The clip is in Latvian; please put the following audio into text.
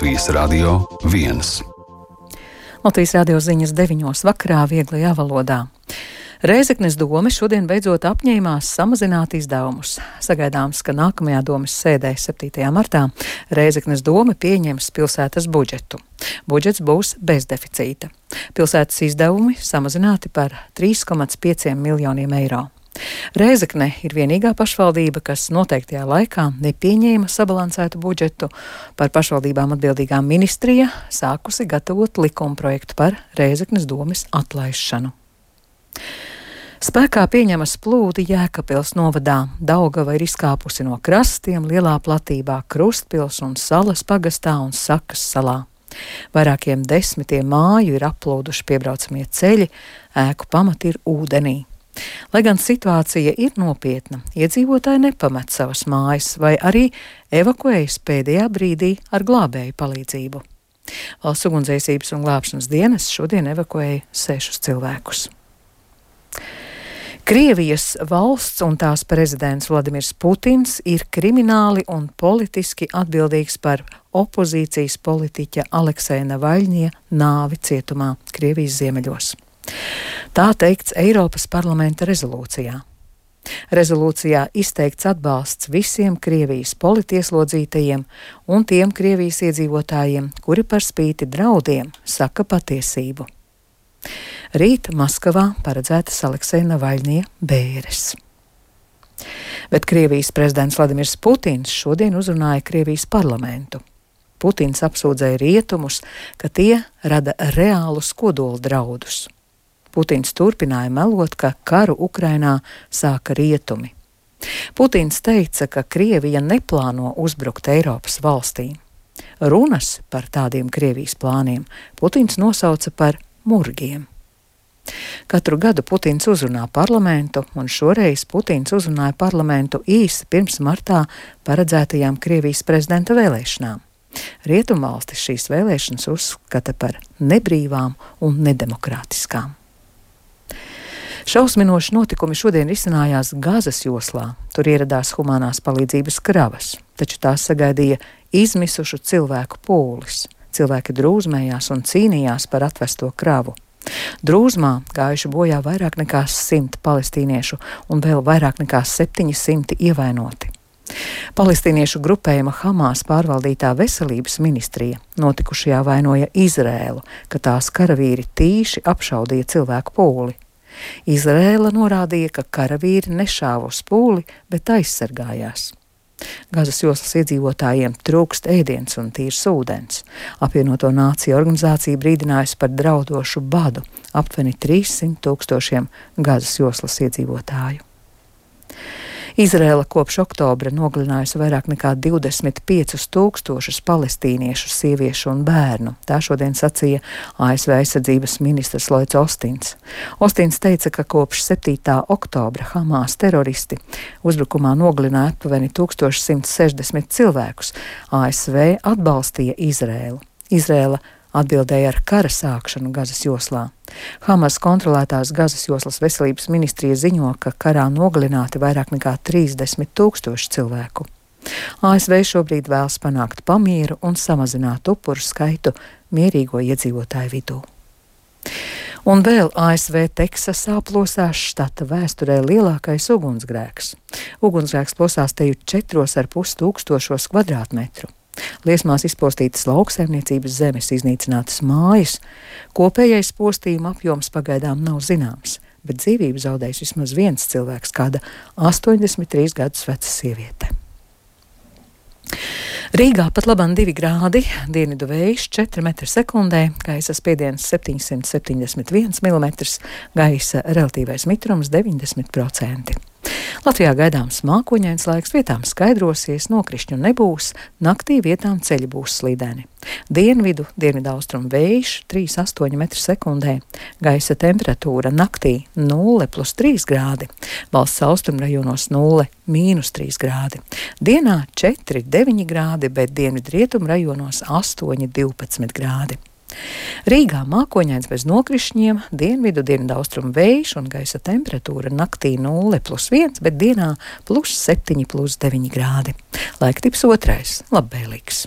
Latvijas Radio 1. Latvijas radio ziņas 9:00 vakarā vieglajā valodā. Rēzeknes dome šodien beidzot apņēmās samazināt izdevumus. Sagaidāms, ka nākamajā domes sēdē 7. martā Rēzeknes dome pieņems pilsētas budžetu. Budžets būs bez deficīta. Pilsētas izdevumi samazināti par 3,5 miljoniem eiro. Rēzekne ir vienīgā pašvaldība, kas noteiktajā laikā nepieņēma sabalansētu budžetu. Par pašvaldībām atbildīgā ministrija sākusi gatavot likumprojektu par Rēzeknes domes atlaišanu. Spēkā pieņemas plūdi Jēkabpils novadā. Daugava ir izkāpusi no krastiem lielā platībā Krustpils un Salas pagastā un Sakas salā. Vairākiem desmitiem māju ir aplūduši piebraucamie ceļi, ēku pamati ir ūdenī. Lai gan situācija ir nopietna, iedzīvotāji nepamet savas mājas vai arī evakuējas pēdējā brīdī ar glābēju palīdzību. Valsts ugunsdzēsības un glābšanas dienas šodien evakuēja 6 cilvēkus. Krievijas valsts un tās prezidents Vladimirs Putins ir krimināli un politiski atbildīgs par opozīcijas politiķa Alekseja Navaļņija nāvi cietumā Krievijas ziemeļos. Tā teikts Eiropas parlamenta rezolūcijā. Rezolūcijā izteikts atbalsts visiem Krievijas politieslodzītajiem un tiem Krievijas iedzīvotājiem, kuri par spīti draudiem saka patiesību. Rīt Maskavā paredzētas Alekseja Navaļņija bēres. Bet Krievijas prezidents Vladimirs Putins šodien uzrunāja Krievijas parlamentu. Putins apsūdzēja rietumus, ka tie rada reālus kodola draudus. Putins turpināja melot, ka karu Ukrainā sāka rietumi. Putins teica, ka Krievija neplāno uzbrukt Eiropas valstīm. Runas par tādiem Krievijas plāniem Putins nosauca par murgiem. Katru gadu Putins uzrunā parlamentu, un šoreiz Putins uzrunāja parlamentu īsi pirms martā paredzētajām Krievijas prezidenta vēlēšanām. Rietumvalstis šīs vēlēšanas uzskata par nebrīvām un nedemokrātiskām. Šausminoši notikumi šodien risinājās Gazas joslā. Tur ieradās humanās palīdzības kravas, taču tās sagaidīja izmisušu cilvēku pūlis. Cilvēki drūzmējās un cīnījās par atvesto kravu. Drūzmā gājuši bojā vairāk nekā 100 palestīniešu un vēl vairāk nekā 700 ievainoti. Palestīniešu grupējuma Hamas pārvaldītā veselības ministrija notikušajā vainoja Izrēlu, ka tās karavīri tīši apšaudīja cilvēku pūli. Izrēla norādīja, ka karavīri nešāva uz pūli, bet aizsargājās. Gazas joslas iedzīvotājiem trūkst ēdiens un tīrs ūdens. Apvienoto nāciju organizācija brīdinājusi par draudošu badu aptuveni 300 000 Gazas joslas iedzīvotāju. Izrēla kopš oktobra nogalinājusi vairāk nekā 25 000 palestīniešu, sieviešu un bērnu. Tā šodien sacīja ASV aizsardzības ministrs Lloyds Ostins. Ostins teica, ka kopš 7. oktobra Hamas teroristi uzbrukumā nogalināja aptuveni 1160 cilvēkus. ASV atbalstīja Izrēlu. Izrēla atbildēja ar kara sākšanu Gazas joslā. Hamas kontrolētās Gazas joslas veselības ministrija ziņo, ka karā nogalināti vairāk nekā 30 000 cilvēku. ASV šobrīd vēlas panākt pamieru un samazināt upuru skaitu mierīgo iedzīvotāju vidū. Un vēl ASV Teksasā plosās štata vēsturē lielākais ugunsgrēks. Ugunsgrēks plosās teju 4,5 tūkstošos kvadrātmetru. Liesmās izpostītas lauksaimniecības zemes, iznīcinātas mājas. Kopējais postījuma apjoms pagaidām nav zināms, bet dzīvību zaudējis vismaz viens cilvēks, kāda 83 gadus veca sieviete. Rīgā pat labam 2 grādi, dienvidu vējš 4 m/sekundē, gaisa spiediens 771 mm, gaisa relatīvais mitrums 90%. Latvijā gaidāms mākoņains laiks, vietām skaidrosies, nokrišņu nebūs, naktī vietām ceļi būs slideni. Dienvidaustrumu vējš 3,8 m/sekundē, gaisa temperatūra naktī 0+3 grādi, valsts austrumrajonos 0–3 grādi. Dienā 4–9 grādi, bet dienvidrietumu rajonos 8–12 grādi. Rīgā mākoņains bez nokrišņiem, dienvidaustrumu vējš un gaisa temperatūra naktī 0+1, bet dienā +7–9 grādi. Laiktips 2. labvēlīgs.